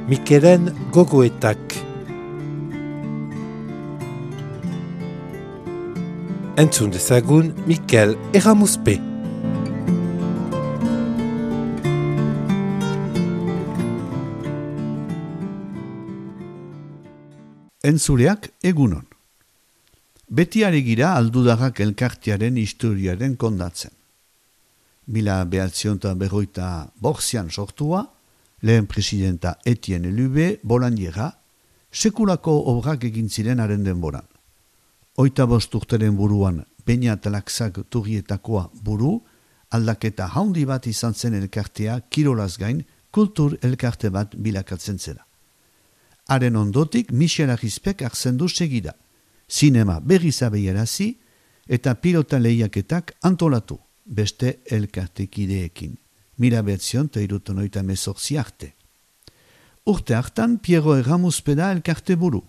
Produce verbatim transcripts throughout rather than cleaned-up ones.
Mikelen gogoetak. Entzun dezagun Mikel Erramuzpe. Entzuleak egunon. Beti aregira aldudarrak elkartearen historiaren kondatzen. Mila behatzionta berroita borzian sortua, lehen presidenta Etienne Lube bolandiera, sekulako obrak egin ziren haren denboran. Oita bost urteren buruan Beñat Laxak turrietakoa buru, aldaketa haundi bat izan zen elkartea kirolaz gain kultur elkarte bat bilakatzen zera. Haren ondotik Michel Arrizpek hartzen du segida, sinema berriz abeiarazi eta pilota lehiaketak antolatu, beste elkartekideekin. Mila behatzion eta irutonoita mezortzi arte. Urte hartan Piero Erramuzpe da elkarte buru,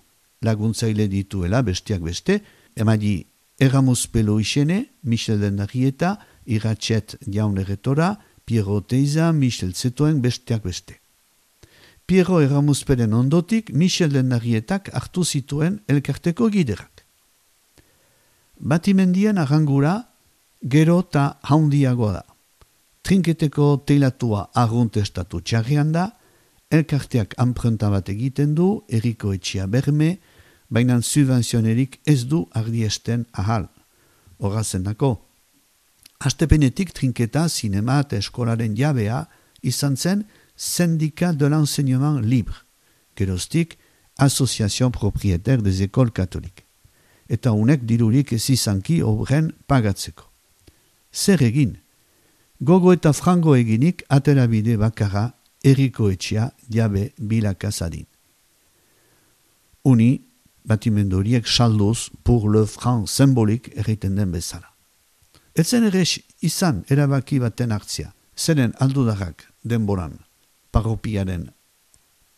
laguntzaile dituela besteak beste, emadi Erramuzpe Loixene, Michel Dendarrieta, Iratxet Jaun Erretora, Piero Teiza, Michel Zetoen besteak beste. Piero Erramuzperen ondotik Michel Dendarrietak hartu zituen elkarteko giderak. Batimendien arrangura gero eta haundiagoa da. Trinketeko teilatua arrunt estatu txarrian da, elkarteak anprenta bat egiten du, erriko etxia berme, baina subvenzionerik ez du ardiesten ahal. Horrazen dako. Astepenetik trinketa, sinema eta eskolaren jabea izan zen Syndicat de l'enseignement libre, geroztik Association Propriétaire des Écoles Catholiques. Eta unek dirurik ez izanki obren pagatzeko. Zer egin? Gogo eta frango eginik aterabide bakarra erriko etxea jabe bilakazadin. Uni, batimendoriek salduz pour le franc symbolik erriten den bezala. Etzen ere izan erabaki baten hartzia, zeren aldudarrak denboran, parropiaren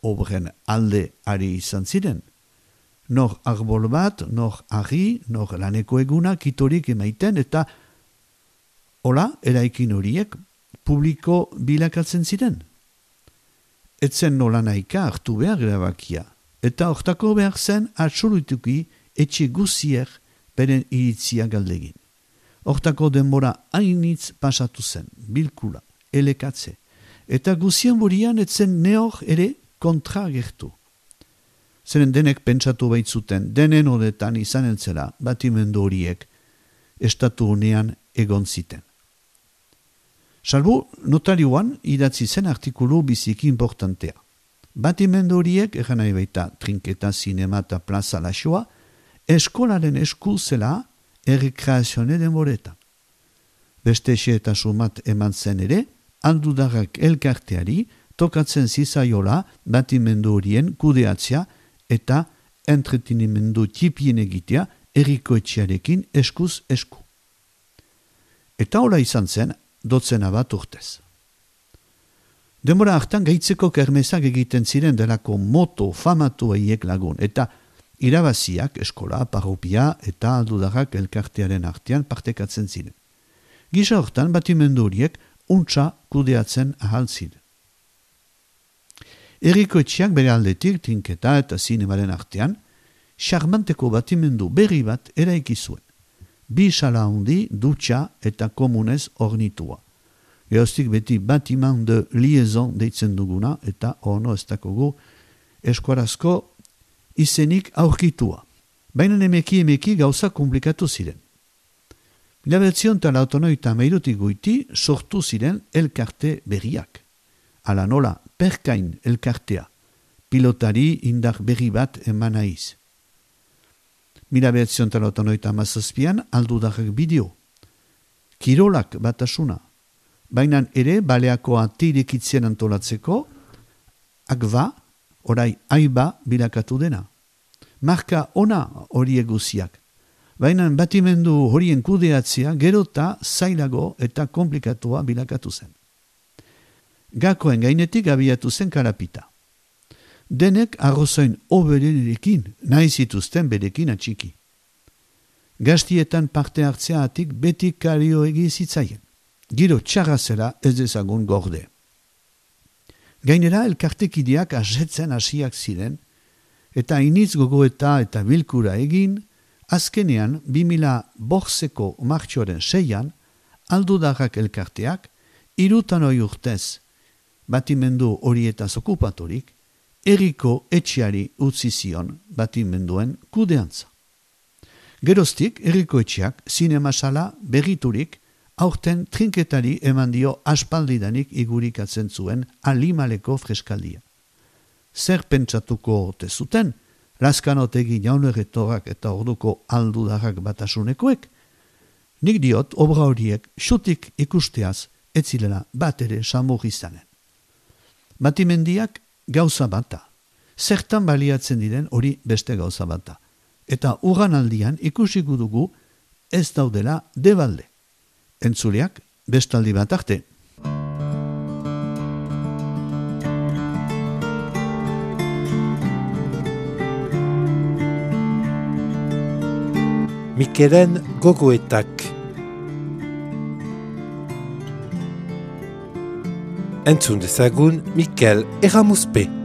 obren alde ari izan ziren. Nor arbol bat, nor argi, nor laneko eguna kitorik emaiten eta hola, eraikin horiek publiko bilakatzen ziren. Etzen nola nahika hartu behar erabakia, eta hortako behar zen absolutuki etxe guzier beren iritzia galdegin. Hortako denbora hainitz pasatu zen, bilkula, elekatze, eta guzien burian etzen neor ere kontra gertu. Zeren denek pentsatu baitzuten, denen odetan izan entzela batimendu horiek estatu unean egon ziten. Salbu, notarioan idatzi zen artikulu biziki importantea. Batimendu horiek, egan nahi baita trinketa, sinema eta plaza laxoa, eskolaren esku zela errekreazione denboretan. Beste xe eta sumat eman zen ere, aldudarrak elkarteari tokatzen zizaiola batimendu horien kudeatzea eta entretenimendu txipien egitea erriko etxearekin eskuz esku. Eta hola izan zen, dotzena bat urtez. Denbora hartan gaitzeko kermesak egiten ziren delako moto famatu eiek lagun, eta irabaziak eskola, parropia eta aldudarrak elkartearen artean partekatzen ziren. Gisa hortan batimendu horiek untsa kudeatzen ahal ziren. Erriko etxeak bere aldetik, trinketa eta zinemaren artean, xarmanteko batimendu berri bat eraiki zuen. Bi sala handi, dutxa eta komunez ornitua. Eoztik beti batiman de liaison deitzen duguna eta ono ez dakogu eskuarazko izenik aurkitua. Baina emeki emeki gauza komplikatu ziren. Mila behatzion eta lautonoita meirutik goiti sortu ziren elkarte berriak. Ala nola perkain elkartea, pilotari indar berri bat eman naiz. Mila behatzion eta lautonoita mazazpian aldudarrak bideo. Kirolak batasuna. Baina ere baleako atirekitzen antolatzeko, akba, orai aiba bilakatu dena. Marka ona horiek guziak. Baina batimendu horien kudeatzea gerota zailago eta komplikatua bilakatu zen. Gakoen gainetik abiatu zen karapita. Denek arrozoin oberenerekin nahi zituzten berekin atxiki. Gaztietan parte hartzea atik beti kario egi zitzaien. Giro txarra zela ez dezagun gorde. Gainera elkartekideak asetzen hasiak ziren, eta initz gogoeta eta bilkura egin, azkenean bi mila borzeko martxoaren seian, aldudarrak elkarteak, irutan hoi urtez, batimendu horietaz okupatorik, herriko etxeari utzi zion batimenduen kudeantza. Geroztik, herriko etxeak zinemasala berriturik, aurten trinketari eman dio aspaldidanik igurikatzen zuen Alimaleko freskaldia. Zer pentsatuko ote zuten, Lazkanotegi jaunerretorak eta orduko aldudarrak batasunekoek? Nik diot, obra horiek xutik ikusteaz ez zirela bat ere samur izanen. Batimendiak gauza bata, zertan baliatzen diren hori beste gauza bata, eta urran aldian ikusiko dugu ez daudela debalde. Entzuleak bestaldi bat arte. Mikelen gogoetak. Entzun dezagun Mikel Erramuspe.